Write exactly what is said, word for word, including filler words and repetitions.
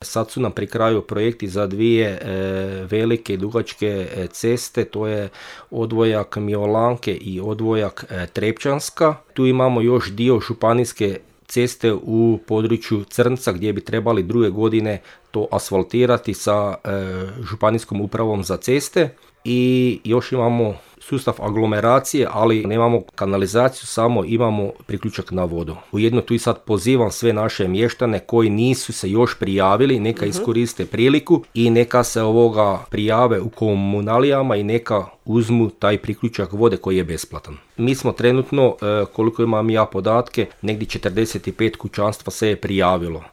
Sad su nam pri kraju projekti za dvije e, velike i dugačke e, ceste, to je odvojak Miolanke i odvojak e, Trepčanska. Tu imamo još dio županijske ceste u području Crnca gdje bi trebali druge godine to asfaltirati sa e, županijskom upravom za ceste. I još imamo sustav aglomeracije, ali nemamo kanalizaciju, samo imamo priključak na vodu. Ujedno tu i sad pozivam sve naše mještane koji nisu se još prijavili, neka uh-huh. iskoriste priliku i neka se ovoga prijave u komunalijama i neka uzmu taj priključak vode koji je besplatan. Mi smo trenutno, koliko imam ja podatke, negdje četrdeset pet kućanstva se je prijavilo.